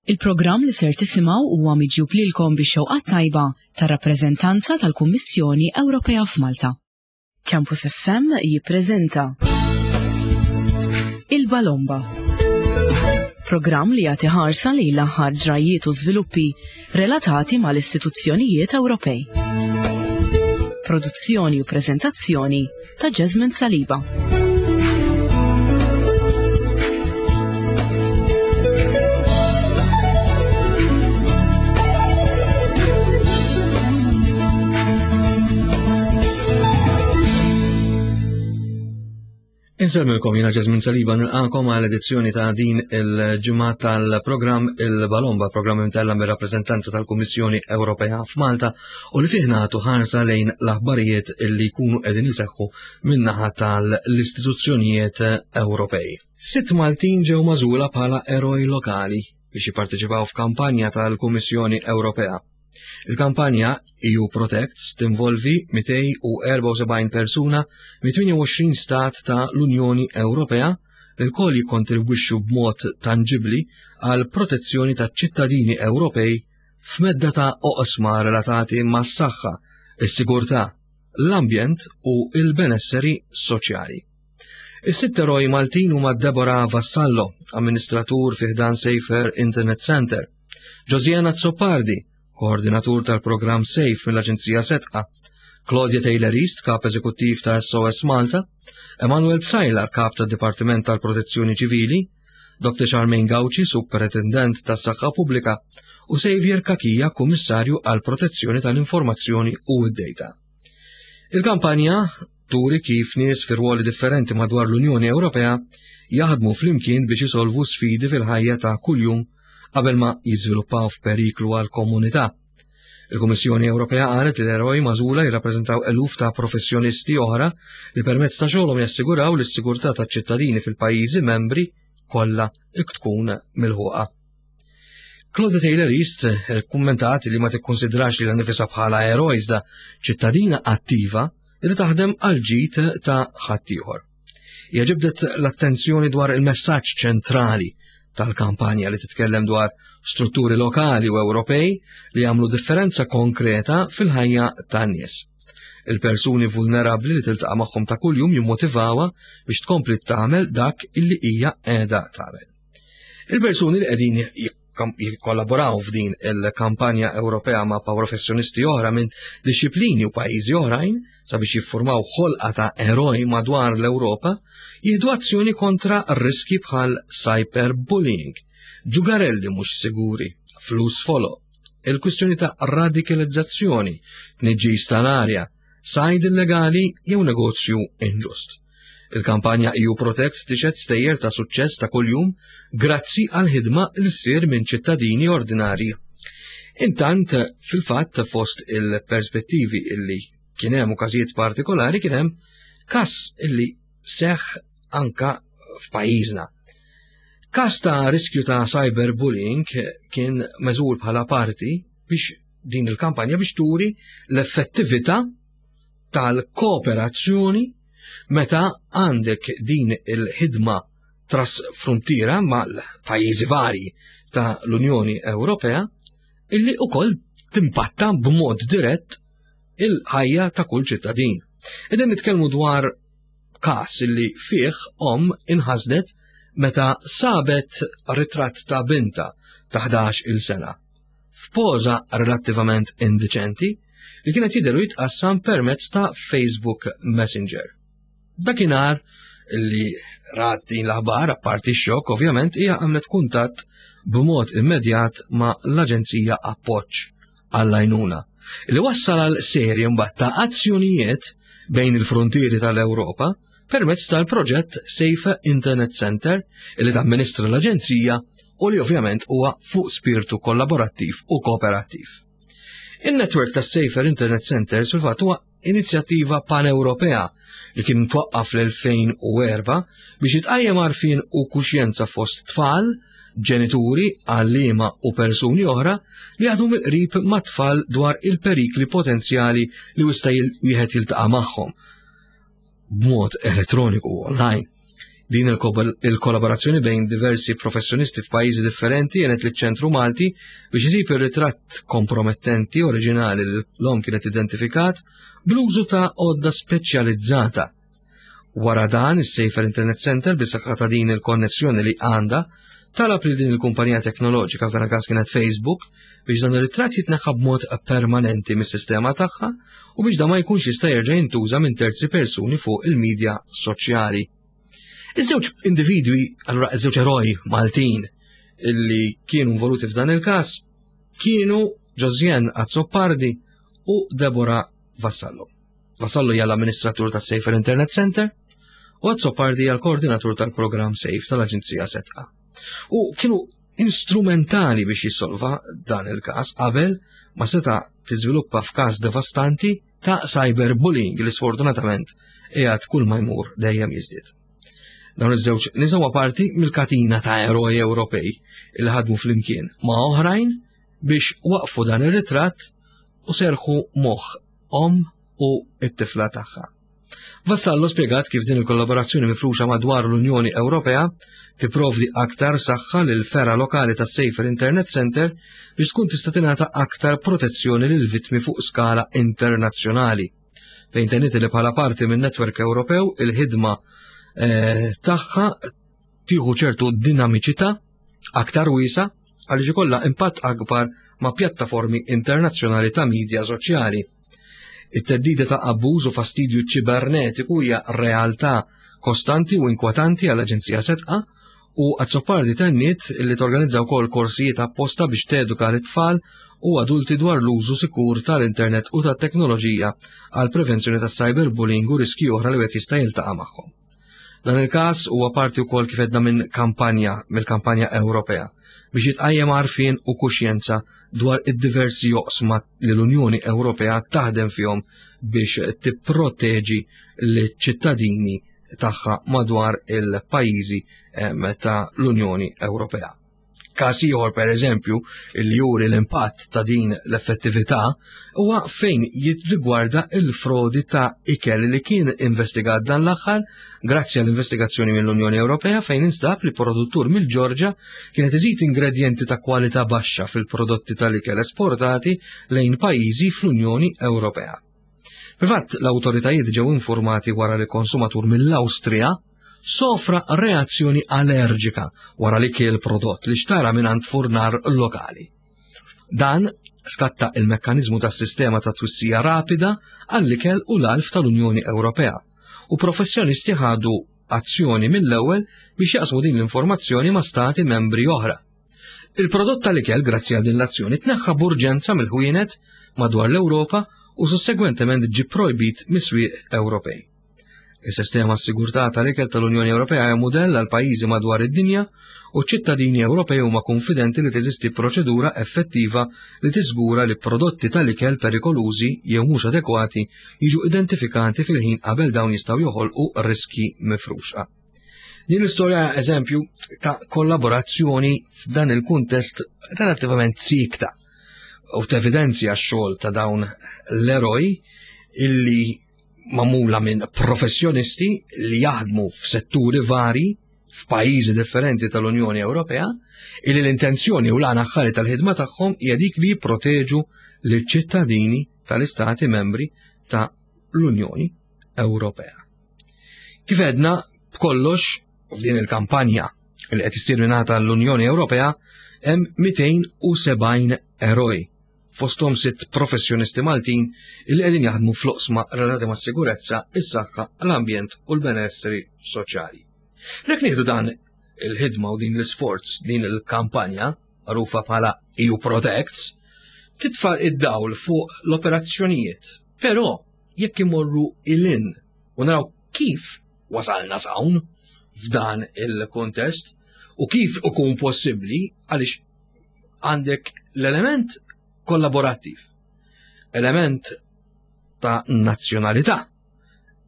Il-programm li ser tisimgħu huwa miġjub lilkom bix-xewqat tajba tar-rappreżentanza tal-Kummissjoni Ewropea f'Malta. Campus FM jippreżenta Il-Balomba. Programm li jagħti ħarsa lejn l-aħħar ġrajjiet u żviluppi relatati mal-istituzzjonijiet Ewropej. Produzzjoni u preżentazzjoni ta' Jasmine Saliba. Insellmilkom jiena Jasmine Saliba nilqakom għal edizzjoni ta' din il-ġimgħa tal-programm Il-Balomba, programm imtella mir-rappreżentanza tal-Kummissjoni Ewropea f'Malta u li fih nagħtu ħarsa lejn l-aħbarijiet li jkunu qegħdin iseħħu min-naħa tal-istituzzjonijiet Ewropej. Sitt Maltin ġew magħżula bħala eroj lokali biex jipparteċipaw f'kampanja tal-Kummissjoni Ewropea. Il-kampanja EU Protects tinvolvi 274 persuna mit-28 stat ta' l-Unjoni Ewropea li lkoll jikkontribwixxu b'mod tanġibbli għal protezzjoni taċ-ċittadini Ewropej f'medda ta' oqsma relatati mas-saħħa, is-sigurtà, l-ambjent u l-benesseri soċjali. Is-sitt eroj Maltin huma Deborah Vassallo, amministratur fi ħdan Safer Internet Center, Josiana Azzopardi, koordinatur tal-programm Safe mill-Aġenzija Setqa, Claudia Taylor East, kap eżekuttiv ta' SOS Malta, Emanuel Psajlar, kap tad Dipartiment tal-Protezzjoni Ċivili, Dr. Charmaine Gauci, Superintendent tas-Saħħa Pubblika, u Xavier Kakija, Kummissarju għal Protezzjoni tal-Informazzjoni u d-Data. Il-kampanja turi kif nies fi rwoli differenti madwar l-Unjoni Ewropea jaħdmu flimkien biex isolvu sfidi fil-ħajja ta' kuljum qabel ma jiżviluppaw f'periklu għal komunità. Il-Kummissjoni Ewropea qalet li l-eroj magħżula jirrappreżentaw eluf ta' professjonisti oħra li permezz ta' xogħolhom jassiguraw li s-sigurtà taċ-ċittadini fil-pajjiżi membri kollha tkun milħuqa. Claudia Taylor East eh, kummentat li ma tikkonsidrax li nifisha bħala eroj iżda ċittadina attiva li taħdem għal ġid ta' ħaddieħor. Hija ġibdet l-attenzjoni dwar il-messaġġ ċentrali tal-kampanja li titkellem dwar strutturi lokali u Ewropej li jagħmlu differenza konkreta fil-ħajja tan-nies. Il-persuni vulnerabbli li tiltaqa' magħhom ta' kuljum jimmotivawha biex tkompli tagħmel dak illi hija qiegħda tagħmel. Il-persuni li qegħdin jikkollaboraw f'din il-kampanja Ewropea ma' professjonisti oħra minn disċiplini u pajjiżi oħrajn sabiex jiffurmaw ħolqa ta' eroj madwar l-Ewropa, jieħdu azzjoni kontra riski bħal cyberbullying, ġugarelli mhux siguri, flus folo, il-kwistjoni ta' radikalizzazzjoni, tniġġis tal-arja, sajd illegali jew negozju inġust. Il-kampanja EU Protect tixed stejjer ta' suċċess ta' kuljum grazzi għal ħidma li ssir minn ċittadini ordinari. Intant, fil-fatt fost il-perspettivi illi kien hemm u każijiet partikolari kien hemm każ illi seħħ anka f'pajjiżna. Każ ta' riskju ta' cyberbullying kien meżur bħala parti biex din il-kampanja biex turi l-effettività tal-kooperazzjoni meta għandek din il-ħidma trasfrontiera mal-pajjiżi varji ta' l-Unjoni Ewropea illi ukoll timpatta b'mod dirett il-ħajja ta' kull ċittadin. Qegħdin nitkellmu dwar każ illi fih om inħasdet meta sabet ritratt ta' binta ta' 11 il sena f'poża relattivament indiċenti li kienet jidher u jitqassam permezz ta' Facebook Messenger. Dakinhar li rat din l-aħbar, apparti x-xokk, ovvjament, hija għamlet kuntatt b'mod immedjat ma' l-Aġenzija Appoġġ għall-għajnuna, li wassal għal serje mbagħad ta' azzjonijiet bejn il-frontieri tal-Ewropa permezz tal-proġett Safe Internet Center li tamministra l-Aġenzija u li ovvjament huwa fuq spirtu kollaborattiv u kooperattiv. Il-network tas Safer Internet Centers fil-fatt huwa inizjattiva pan-Ewropea li kien twaqqaf fl-2004 biex jitqajjem għarfien u kuxjenza fost tfal, ġenituri, għalliema u persuni oħra li jaħdmu mill-qrib mat-tfal dwar il-perikli potenzjali li wista' wieħed jiltaqa' magħhom b'mod elettroniku online. Din il-kollaborazzjoni bejn diversi professjonisti f'pajjiżi differenti għenet liċ-Ċentru Malti biex isib ir-ritratt kompromettenti oriġinali li l-omm kienet identifikat bl-użu ta' għodda speċjalizzata. Wara dan, is-Safer Internet Center bis-saħħa ta' din il-konnessjoni li għandha talab lil din il-kumpanija teknoloġika f'dan il-każ kienet Facebook biex dan ir-ritratt jitneħħa b'mod permanenti mis-sistema tagħha u biex dan ma jkunx jista' jerġa' jintuża minn terzi persuni fuq il-medja soċjali. Iż-żewġ individwi, allura iż-żewġ eroj Maltin illi kienu involuti f'dan il-każ kienu Josjen Azzopardi u Deborah Vassallo. Vassallo hija l-amministratur tas-Safer Internet Center u Azzopardi hija l-koordinatur tal-programm Safe tal-Aġenzija Setqa. U kienu instrumentali biex jissolva dan il-każ qabel ma seta' tiżviluppa f'każ devastanti ta' cyberbullying li sfortunatament qiegħed kull ma jmur dejjem jiżdied. Dawn iż-żewġ nisa huwa parti mill-katina ta' eroj Ewropej li ħadmu flimkien ma' oħrajn biex waqfu dan ir-ritratt u serħu moħħ omm u t-tifla tagħha. Vassallo spjegat kif din il-kollaborazzjoni mifruxa madwar l-Unjoni Ewropea tipprovdi aktar saħħa lil fergħa lokali tas Safer Internet Center biex tkun tista' tingħata aktar protezzjoni lil vittmi fuq skala internazzjonali. Fejn tenniet li bħala parti minn netwerk Ewropew il-ħidma eh, tagħha tieħu ċertu dinamiċità aktar wiesa għaliex ikollha impatt akbar ma' pjattaformi internazzjonali ta' media soċjali. It-theddida ta' abbuż u fastidju ċibernetiku hija realtà kostanti u inkwetanti għall-Aġenzija Sedqa u Azzopardi tenniet li torganizza wkoll korsijiet apposta biex teduka lit-tfal u adulti dwar l-użu sikur tal-internet u tat-teknoloġija għal prevenzjoni tas-cyberbullying u riskji oħra li wieħed jista' jiltaqa' magħhom. Dan il-każ huwa parti wkoll kif għedna minn kampanja mill-kampanja Ewropea biex jitqajjem għarfien u kuxjenza dwar id-diversi oqsma li l-Unjoni Ewropea taħdem fihom biex tipproteġi l-ċittadini tagħha madwar il-pajjiżi ta' l-Unjoni Ewropea. Każ ieħor pereżempju li juri l-impatt ta' din l-effettività huwa fejn jirrigwarda il-frodi ta' ikel li kien investigat dan l-aħħar grazzi għall-investigazzjoni mill-Unjoni Ewropea fejn instab li produttur mill-Ġorġa kienet iżid ingredjenti ta' kwalità baxxa fil-prodotti tal-ikel esportati lejn pajjiżi fl-Unjoni Ewropea. Fil-fatt, l-awtoritajiet ġew informati wara li konsumatur mill-Awstrija sofra reazzjoni allerġika wara li kiel prodott li xtara mingħand furnar lokali. Dan skatta il-mekkaniżmu tas-sistema ta' twissija rapida għall-ikel u l-alf tal-Unjoni Ewropea u professjonisti ħadu azzjoni mill-ewwel biex jaqsmu din l-informazzjoni ma' stati membri oħra. Il-prodott tal-ikel grazzi għal din l-azzjoni tneħħa b'urġenza mill-ħwienet madwar l-Ewropa u sussegwentement ġie projbit mis-swieq Ewropej. Is-sistema sigurtà tal-ikel tal-Unjoni Ewropea hija mudell għal pajjiżi madwar id-dinja u ċ-ċittadini Ewropej huma kunfidenti li teżisti proċedura effettiva li tiżgura li prodotti tal-ikel perikolużi jew mhux adekwati jiġu identifikati fil-ħin qabel dawn jistgħu joħolqu riskji mifruxa. Din l-istorja eżempju ta' kollaborazzjoni f'dan il-kuntest relattivament sikta u tevidenzja x-xogħol ta' dawn l-eroj illi magħmula minn professjonisti li jaħdmu f'setturi vari f'pajjiżi differenti tal-Unjoni Ewropea illi l-intenzjoni u l-għana ħari tal-ħidma tagħhom hija dik li jipproteġu lill-ċittadini tal-istati membri ta' l-Unjoni Ewropea. Kif edna b'kollox f'din il-kampanja li qed issir mingħata l-Unjoni Ewropea hemm 270 eroj fosthom sitt professjonisti Maltin li qegħdin jaħdmu fl-oqsma relatati mas-sigurezza, is-saħħa, l-ambjent u l-benessri soċjali. Jekk nieħdu dan il-ħidma u din l-isforz, din il-kampanja, magħrufa bħala EU Protects, titfa' id-dawl fuq l-operazzjonijiet. Però jekk imorru ilin u naraw kif wasalna s'hawn f'dan il-kontest u kif ikun possibbli għaliex għandek l-element kollaborattiv, element ta' nazzjonalità,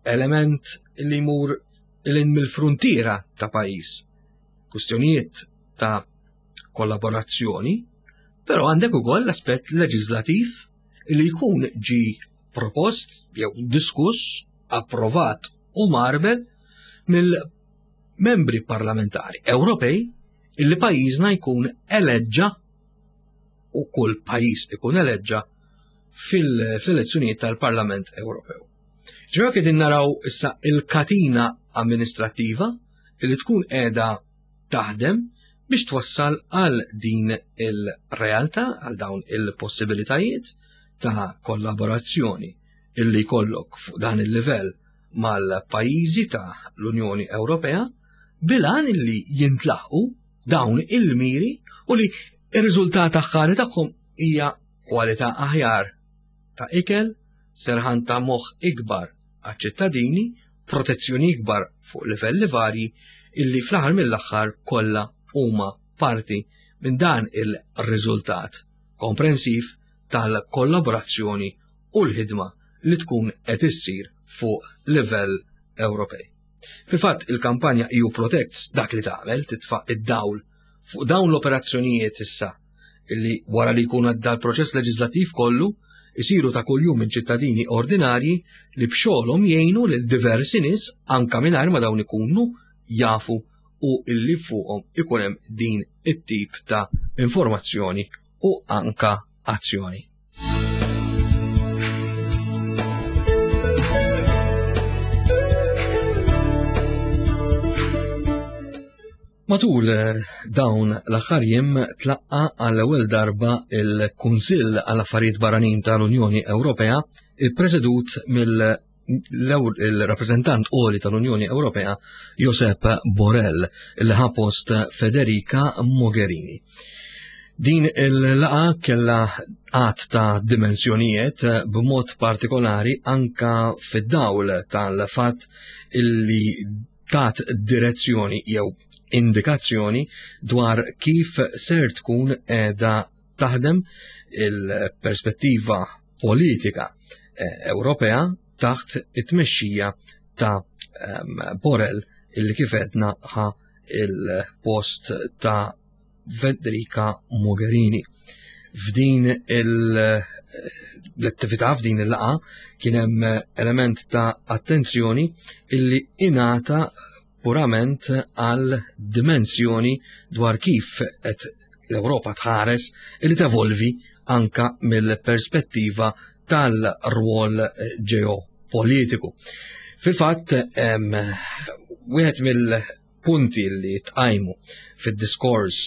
element li jmur l-in mill-fruntiera ta' pajjiż, kwistjonijiet ta' kollaborazzjoni, però għandek ukoll l-aspett leġislativ li jkun ġi propost jew diskuss, approvat u marbel mill membri parlamentari Ewropej illi pajjiżna jkun eleġġa u kull pajjiż ikun eleġġa fil-elezzjonijiet tal-Parlament Ewropew. Ġew qegħdin naraw issa il-katina amministrattiva li tkun qiegħda taħdem biex twassal għal din il-realtà, għal dawn il-possibilitajiet ta' kollaborazzjoni illi jkollok fuq dan il-livell mal-pajjiżi ta' l-Unjoni Ewropea bilan illi jintlaħqu dawn il-miri u li ir-riżultat aħħari tagħhom hija kwalità aħjar ta' ikel, serħan ta' moħħ ikbar għaċ-ċittadini, protezzjoni ikbar fuq livelli varji illi fl-aħħar mill-aħħar kollha huma parti minn dan il-riżultat komprensiv tal-kollaborazzjoni u l-ħidma li tkun qed issir fuq livell Ewropej. Fil-fatt il-kampanja EU Protects dak li tagħmel titfa' id-dawl fuq dawn l-operazzjonijiet issa illi wara li jkun għadda l-proċess leġislattiv kollu isiru ta' kuljum minn ċittadini ordinarji li b'xogħolhom jgħinu lil diversi nies anka mingħajr ma dawn ikunu jafu u illi fuqhom ikun hemm din it-tip ta' informazzjoni u anka azzjoni. Matul eh, dawn l-aħħar jiem tlaqqa għall-ewwel darba il-Kunsill għall Affarijiet Barranin tal-Unjoni Ewropea ippresedut mill-rappreżentant qoli tal-Unjoni Ewropea Josep Borrell li ħa post Federica Mogherini. Din il-laqa kella għat ta' dimensjonijiet b'mod partikolari anka fid-dawl tal-fatt illi tat direzzjoni jew indikazzjoni dwar kif ser tkun edha taħdem il-perspettiva politika eh, Ewropea taħt it-tmexxija ta' ehm, Borrell illi kif edna ħa il-post ta' Federica Mogherini. F'din l-attività, f'din il-laqa, kien hemm element ta' attenzjoni illi ingħata purament għal dimensjoni dwar kif qed l-Ewropa tħares illi tevolvi anka mill-perspettiva tal-rwol ġeopolitiku. Fil-fatt, wieħed mill punti li tqajmu fid-diskors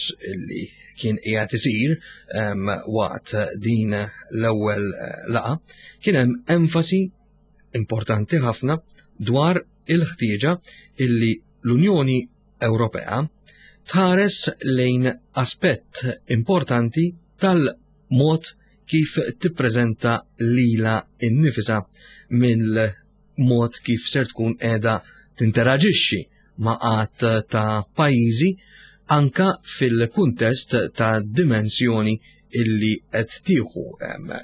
li kien qiegħed isir waqt din l-ewwel eh, laqa kien hemm enfasi importanti ħafna dwar il-ħtieġa illi l-Unjoni Ewropea tħares lejn aspett importanti tal-mod kif tippreżenta lila innifisa mill mod kif ser tkun qiegħda tinteraġixxi ma' għadd ta' pajjiżi anka fil-kuntest ta' dimensjoni illi qed tieħu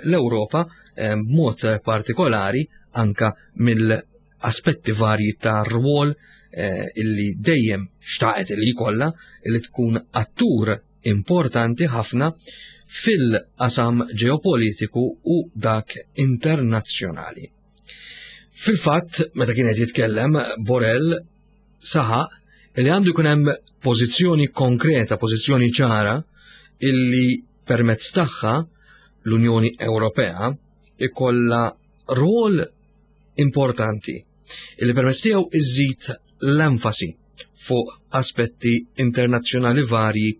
l-Ewropa b'mod partikolari anka mill-aspetti varji ta' rwol eh, illi dejjem xtaqet li jkollha illi tkun attur importanti ħafna fil-qasam ġeopolitiku u dak internazzjonali. Fil-fatt, meta kien qed jitkellem, Borrell saħaq li għandu jkun hemm pożizzjoni konkreta, pożizzjoni ċara illi permezz tagħha l-Unjoni Ewropea ikollha rwol importanti illi permezz tiegħu iżid l-enfasi fuq aspetti internazzjonali varji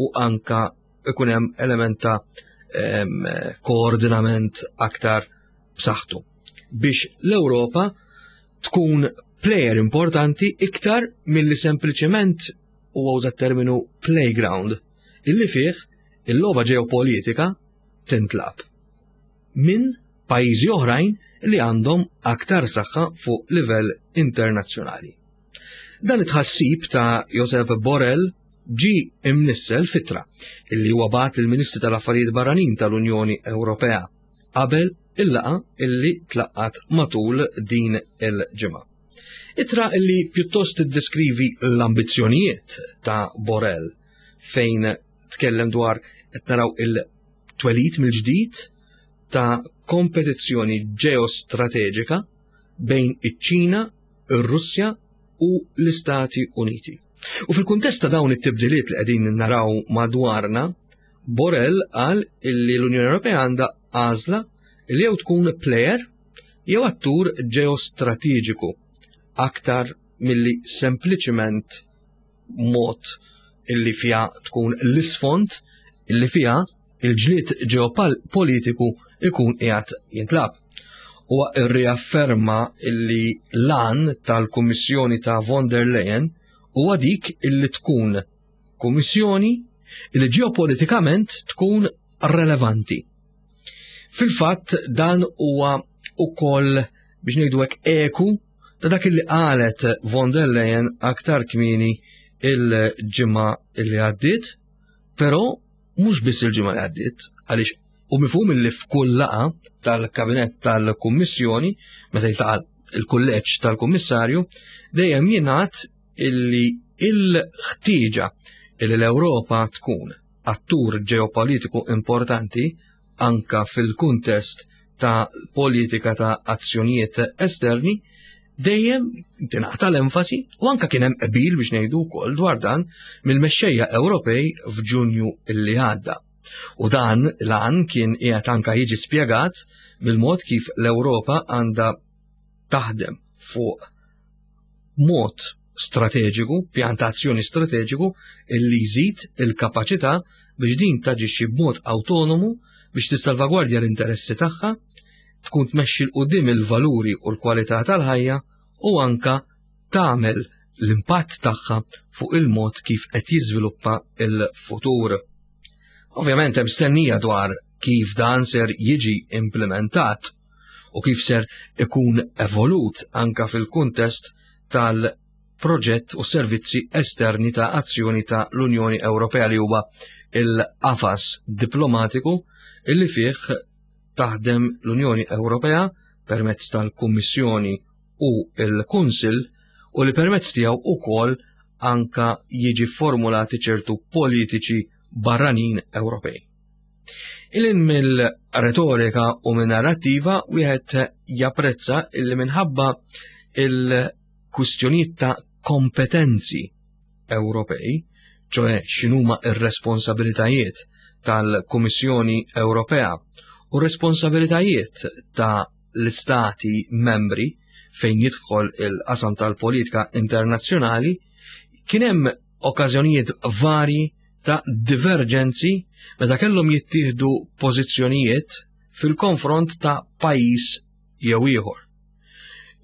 u anka ikun hemm element ta' koordinament aktar b'saħħtu biex l-Ewropa tkun player importanti iktar milli sempliċement huwa użat terminu playground illi fih il-logħba ġeopolitika tintlab minn pajjiżi oħrajn li għandhom aktar saħħa fuq livell internazzjonali. Dan it-tħassib ta' Josep Borrell ġi imnissel fitra illi huwa bagħat lill-Ministri tal-Affarijiet Barranin tal-Unjoni Ewropea qabel il-laqa illi tlaqqat matul din il-ġimgħa. Ittra illi pjuttost tiddeskrivi l-ambizzjonijiet ta' Borrell fejn tkellem dwar qed naraw il-twelid mill-ġdid ta' kompetizzjoni ġeostrateġika bejn iċ-Ċina, ir-Russja, u l-Istati Uniti. U fil-kuntest ta' dawn it-tibdiliet li qegħdin naraw madwarna, Borrell qal illi l-Unjoni Ewropea għandha għażla li jew tkun player jew attur ġeostrateġiku aktar milli sempliċiment mod illi fiha tkun l-isfond illi fiha il-ġlied ġeopolitiku ikun qiegħed jintlab. Huwa rriafferma illi l-għan tal-Kummissjoni ta' von der Leyen huwa dik illi tkun kummissjoni illi ġeopolitikament tkun relevanti. Fil-fatt dan huwa ukoll biex ngħidu hekk eku ta' dak li qalet von der Leyen aktar kmieni il-ġimgħa li għaddiet, però mhux biss il-ġimgħa li għaddiet, għaliex u mifhum li f'kull laqa tal-kabinett tal-Kummissjoni, meta jiltaqa' il-kulleġġ tal-Kummissarju, dejjem jingħad illi il-ħtieġa illi l-Ewropa tkun attur ġeopolitiku importanti anka fil-kuntest ta' politika ta' azzjonijiet esterni, dejjem tingħata l-enfasi u anka kien hemm qbil biex ngħidu wkoll dwar dan mill-mexxejja Ewropej f'Ġunju li għadda. U dan l-għan kien qiegħed anka jiġi spjegat mill-mod kif l-Ewropa għandha taħdem fuq mod strateġiku, pjan ta' azzjoni strateġiku illi jżid il-kapaċità biex din taġixxi b'mod awtonomu biex tissalvagwardja l-interessi tagħha, tkun tmexxi 'l quddiem il-valuri u l-kwalità tal-ħajja u anka tagħmel l-impatt tagħha fuq il-mod kif qed jiżviluppa l-futur. Ovvjament hemm stennija dwar kif dan ser jiġi implementat u kif ser ikun evolut anka fil-kuntest tal-proġett u servizzi esterni ta' azzjoni ta' l-Unjoni Ewropea li huwa il-qafas diplomatiku illi fih taħdem l-Unjoni Ewropea permezz tal-Kummissjoni u l-Kunsill u li permezz tiegħu ukoll anka jiġi formulati ċertu politiċi barranin Ewropej. Ilin mill-retorika u minn narrattiva wieħed japprezza illi minħabba il-kwistjonijiet ta' kompetenzi Ewropej, ċoe x'inhuma ir-responsabilitajiet tal-Kummissjoni Ewropea u responsabilitajiet ta' l-istati membri fejn jidħol il-qasam tal-politika internazzjonali, kien hemm okkażjonijiet varji ta' diverġenzi meta kellhom jittieħdu pożizzjonijiet fil-konfront ta' pajjiż jew ieħor.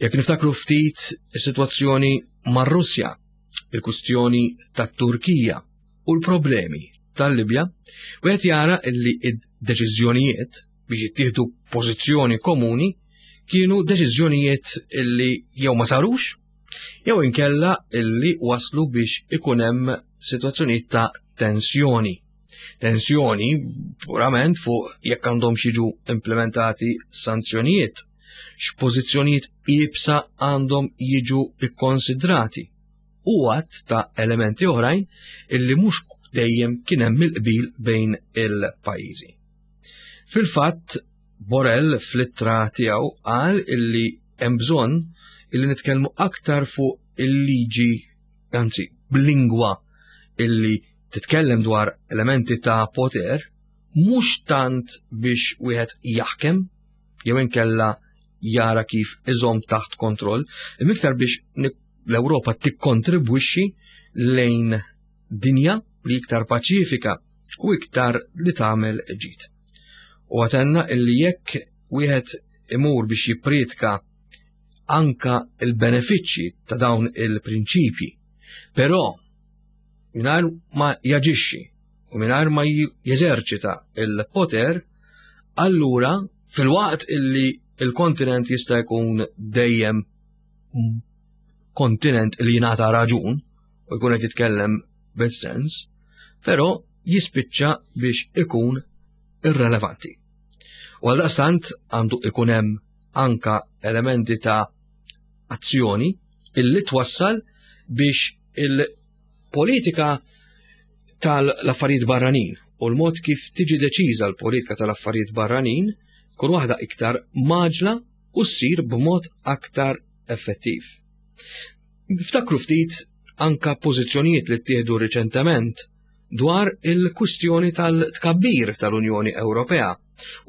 Jekk niftakru ftit is-sitwazzjoni mar-Russja, il-kwistjoni tat-Turkija u l-problemi tal-Libja, wieħed jara li id-deċiżjonijiet biex jittieħdu pożizzjoni komuni kienu deċiżjonijiet li jew ma sarux jew inkella illi waslu biex ikun hemm sitwazzjonijiet ta' tensjoni. Tensjoni purament fuq jekk għandhom jiġu implementati sanzjonijiet, x'pożizzjonijiet iebsa għandhom jiġu ikkonsidrati u għadd ta' elementi oħrajn illi mhux dejjem kien hemm il-qbil bejn il-pajjiżi. Fil-fatt, Borrell fl-ittra tiegħu qal illi hemm bżonn illi nitkellmu aktar fuq il-liġi, anzi b'lingwa illi titkellem dwar elementi ta' poter, mhux tant biex wieħed jaħkem jew inkella jara kif iżomm taħt kontroll, imma iktar biex l-Ewropa tikkontribwixxi lejn dinja li iktar paċifika u iktar li tagħmel ġid. U għatenna illi jekk wieħed imur biex jippriedka anka il-benefiċċji ta' dawn il-prinċipji, però mingħajr ma jaġixxi u mingħajr ma jeżerċita il-poter, allura fil-waqt illi il-kontinent jista' jkun dejjem kontinent li jingħata raġun u jkun qed jitkellem bil-sens, però jispiċċa biex ikun irrelevanti. U għaldaqstant għandu ikun hemm anka elementi ta' azzjoni illi twassal biex il-politika tal-affarijiet barranin u l-mod kif tiġi deċiża l-politika tal-affarijiet barranin kun waħda iktar maġla u ssir b'mod aktar effettiv. Niftakru ftit anka pożizzjonijiet li ttieħdu riċentement dwar il-kwistjoni tal-tkabbir tal-Unjoni Ewropea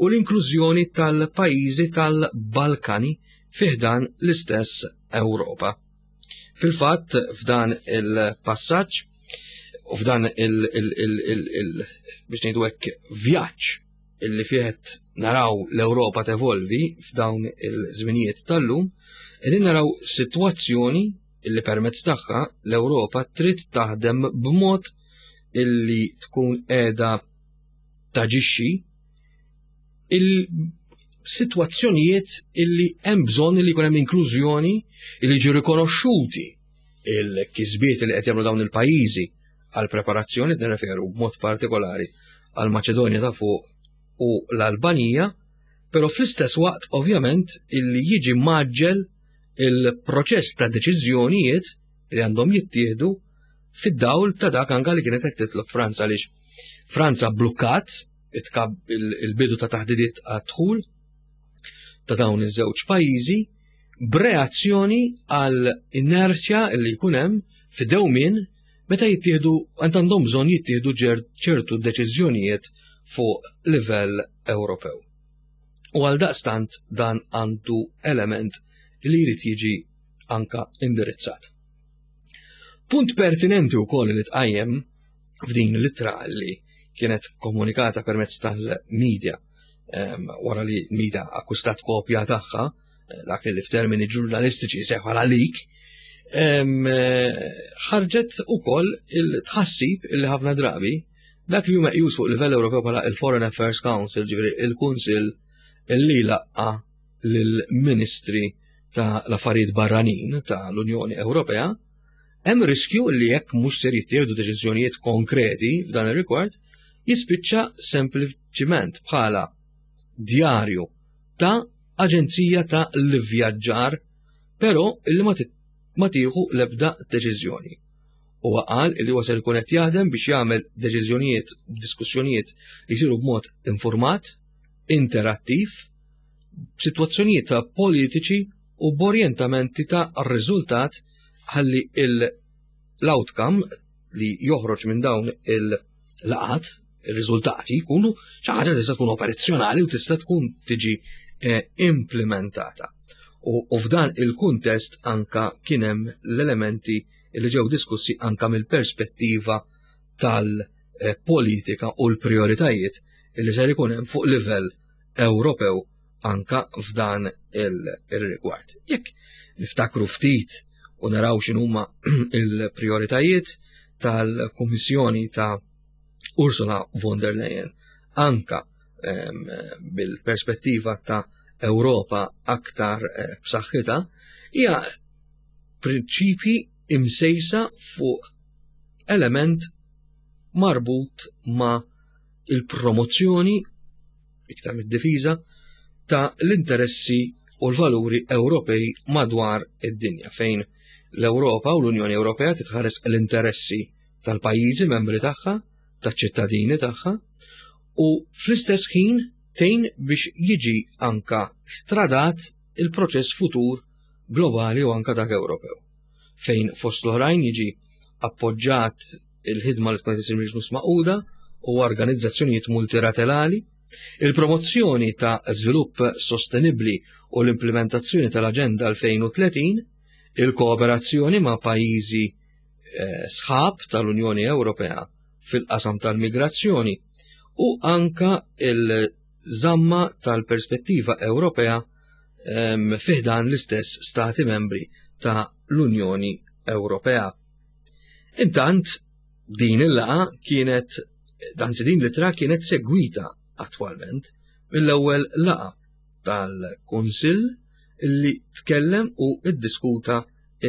u l-inklużjoni tal-pajjiżi tal-Balkani fi ħdan l-istess Ewropa. Fil-fatt, f'dan il-passaġġ u f'dan il biex ngħidu hekk vjaġġ illi fih naraw l-Ewropa tevolvi f'dawn il-żminijiet tal-lum, qegħdin naraw sitwazzjoni illi permezz tagħha l-Ewropa trid taħdem b'mod illi tkun qiegħda taġixxi il-sitwazzjonijiet illi hemm bżonn li jkun hemm inklużjoni illi jiġu rikonoxxuti il-kisbiet li qed jagħmlu dawn il-pajjiżi għal preparazzjoni nirreferu b'mod partikolari għal Maċedonja ta' fuq u l-Albanija, però fl-istess waqt ovvjament illi jiġi maġġel il-proċess ta' deċiżjonijiet li għandhom jittieħdu fid-dawl ta' dak anka li kienet qed titlob Franza għaliex Franza blukkat il-bidu ta' taħdidiet għad-dħul ta' dawn iż-żewġ pajjiżi b'reazzjoni għal inerzja li jkun hemm fid-dewmien meta jittieħdu għandhom bżonn jittieħdu ċertu deċiżjonijiet fuq livell Ewropew. U għal daqstant dan għandu element li jrid jiġi anka indirizzat. Punt pertinenti wkoll li tqajjem f'din l-ittra li kienet komunikata permezz tal-media wara li l-media akkwistat kopja tagħha, eh, dak li f'termini ġurnalistiċi seħ bħala leak, eh, ħarġet ukoll il-tħassib li ħafna drabi dak li huma meqjus fuq livell Ewropew bħala il-Foreign Affairs Council, ġifieri il-Kunsill li laqqa lill-Ministri ta' l-Affarijiet Barranin ta' l-Unjoni Ewropea, hemm riskju li jekk mhux ser jittieħdu deċiżjonijiet konkreti f'dan ir-rigward, jispiċċa sempliċiment bħala djarju ta' aġenzija ta' l-ivvjaġġar, però illi ma tieħu l-ebda deċiżjoni. Huwa qal li huwa ser ikun qed jaħdem biex jagħmel deċiżjonijiet diskussjonijiet li jsiru b'mod informat, interattiv, b'sitwazzjonijiet ta' politiċi u b'orjentamenti ta' riżultat ħalli l-outcome li joħroġ minn dawn il-laqat, il-riżultati jkunu xi ħaġa tista' tkun operazzjonali u tista' tkun tiġi eh, implementata. U f'dan il-kuntest anka kien hemm l-elementi li ġew diskussi anka mill-perspettiva tal-politika u l-prioritajiet li ser ikun hemm fuq livell Ewropew anka f'dan il-rigward. Jekk niftakru ftit u naraw x'inhuma il-prioritajiet tal-Kummissjoni ta' Ursula von der Leyen anka ehm, bil-perspettiva ta' Ewropa aktar eh, b'saħħitha hija prinċipji imsejsa fuq element marbut ma' il-promozzjoni iktar mid-difiża ta' l-interessi u l-valuri Ewropej madwar id-dinja fejn l-Ewropa u l-Unjoni Ewropea titħares l-interessi tal-pajjiżi membri tagħha, taċ-ċittadini tagħha u fl-istess ħin tgħin biex jiġi anka stradat il-proċess futur globali u anka dak Ewropew fejn fost l-oħrajn jiġi appoġġat il-ħidma li tkun qed isir mill-ġnus Magħquda u organizzazzjonijiet multilaterali, il-promozzjoni ta' żvilupp sostenibbli u l-implementazzjoni tal-Aġenda 2030, il-kooperazzjoni ma' pajjiżi eh, sħab tal-Unjoni Ewropea fil-qasam tal-migrazzjoni u anka il-żamma tal-perspettiva Ewropea ehm, fiħdan l-istess stati membri ta' l-Unjoni Ewropea. Intant, din il-laqa kienet, anzi din l-ittra kienet segwita attwalment mill-ewwel laqa tal-Kunsill li tkellem u iddiskuta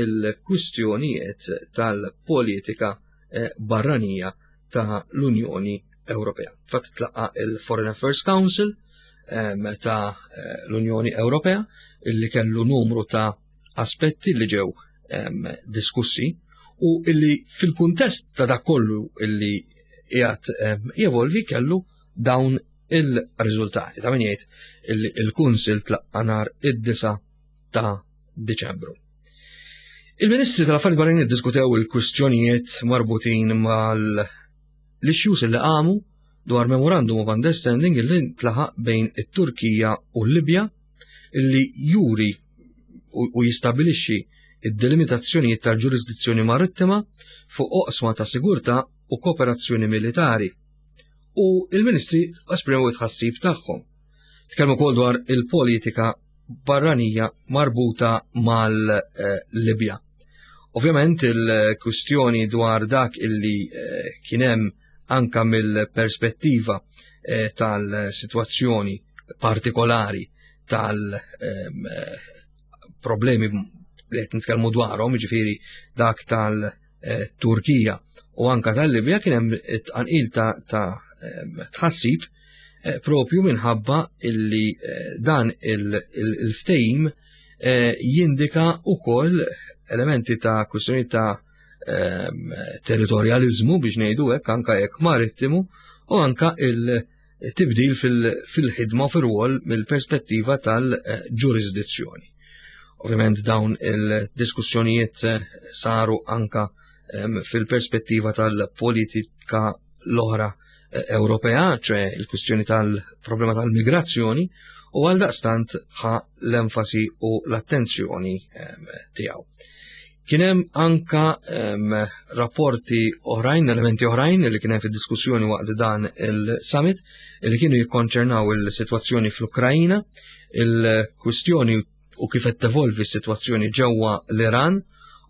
il-kwistjonijiet tal-politika eh, barranija ta' l-Unjoni Ewropea. Fatt tlaqa il-Foreign Affairs Council eh, ta' eh, l-Unjoni Ewropea illi kellu numru ta' aspetti li ġew diskussi u illi fil-kuntest ta' dak kollu illi qiegħed jevolvi kellu dawn il-riżultati. Ta' min jgħid illi il-Kunsil tlaqqa nhar id-9 ta' Diċembru. Il-Ministri tal-Affarijiet Barranin iddiskutew il-kwistjonijiet marbutin mal-issues li qamu dwar Memorandum of Understanding li ntlaħaq bejn it-Turkija u l-Libja illi juri u jistabilixxi id-delimitazzjonijiet tal-ġurisdizzjoni marittima fuq oqsma ta' sigurtà u kooperazzjoni militari. U il-ministri esprimew it-tħassib tagħhom. Tkellmu wkoll dwar il-politika barranija marbuta mal-Libja. Ovvjament il-kwistjoni dwar dak illi eh, kien hemm anka mill-perspettiva eh, tal-sitwazzjoni partikolari tal-problemi ehm, li qed nitkellmu dwarhom, jiġifieri dak tal-Turkija u anka tal-Libja kien hemm tqanqil ta' ehm, tħassib eh, propju minħabba illi eh, dan il-ftehim jindika ukoll elementi ta' kwistjoni ta' Ehm, territorjalizmu biex ngħidu hekk anka jekk marittimu u anka il-tibdil fil-ħidma u fir-rwol mill-perspettiva tal-ġurisdizzjoni. Ovvjament dawn il-diskussjonijiet eh, saru anka ehm, fil-perspettiva tal-politika l-oħra eh, Ewropea, ċe il-kwistjoni tal-problema tal-migrazzjoni, u għal daqstant ħa l-enfasi u l-attenzjoni ehm, tiegħu. Kien hemm anka um, rapporti oħrajn, elementi oħrajn li kien hemm fid-diskussjoni waqt dan il-summit li kienu jikkonċernaw il-sitwazzjoni fl-Ukrajina, il-kwistjoni u kif qed tevolvi s-sitwazzjoni ġewwa l-Iran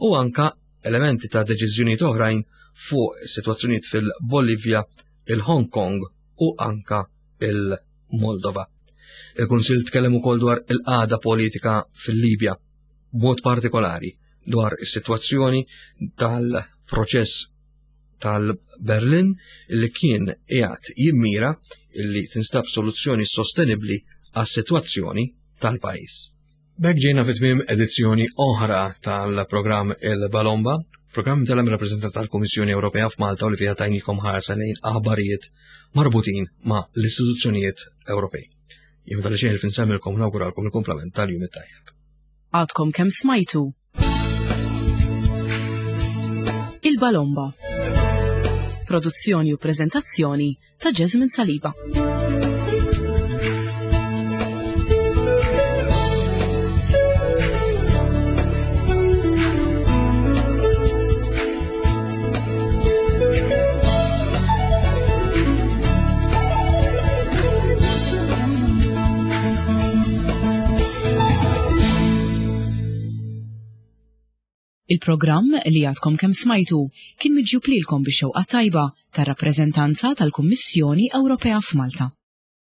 u anka elementi ta' deċiżjonijiet oħrajn fuq sitwazzjonijiet fil-Bolivja, il-Hong Kong u anka il-Moldova. Il-Kunsill tkellem ukoll dwar il-qagħda politika fil-Libja, b'mod partikolari dwar is-sitwazzjoni tal-proċess tal-Berlin li kien qiegħed jimmira illi tinstab soluzzjoni sostenibbli għas-sitwazzjoni tal-pajjiż. B'hekk ġejna fi tmiem edizzjoni oħra tal-programm Il-Balomba, programm tal rappreżentant tal-Kummissjoni Ewropea f'Malta u li fiha tajnikom ħarsa lejn aħbarijiet marbutin ma' l-istituzzjonijiet Ewropej. Jien tal xejn f'insemmilkom nawguralkom il-kumplament tal-jum it-tajjeb. Għadkom kemm smajtu Il-Balomba. Produzzjoni u preżentazzjoni ta' Jasmine Saliba. Il-programm li għadkom kemm smajtu kien miġjub lilkom bix-xewqa tajba tar-rappreżentanza tal-Kummissjoni Ewropea f'Malta.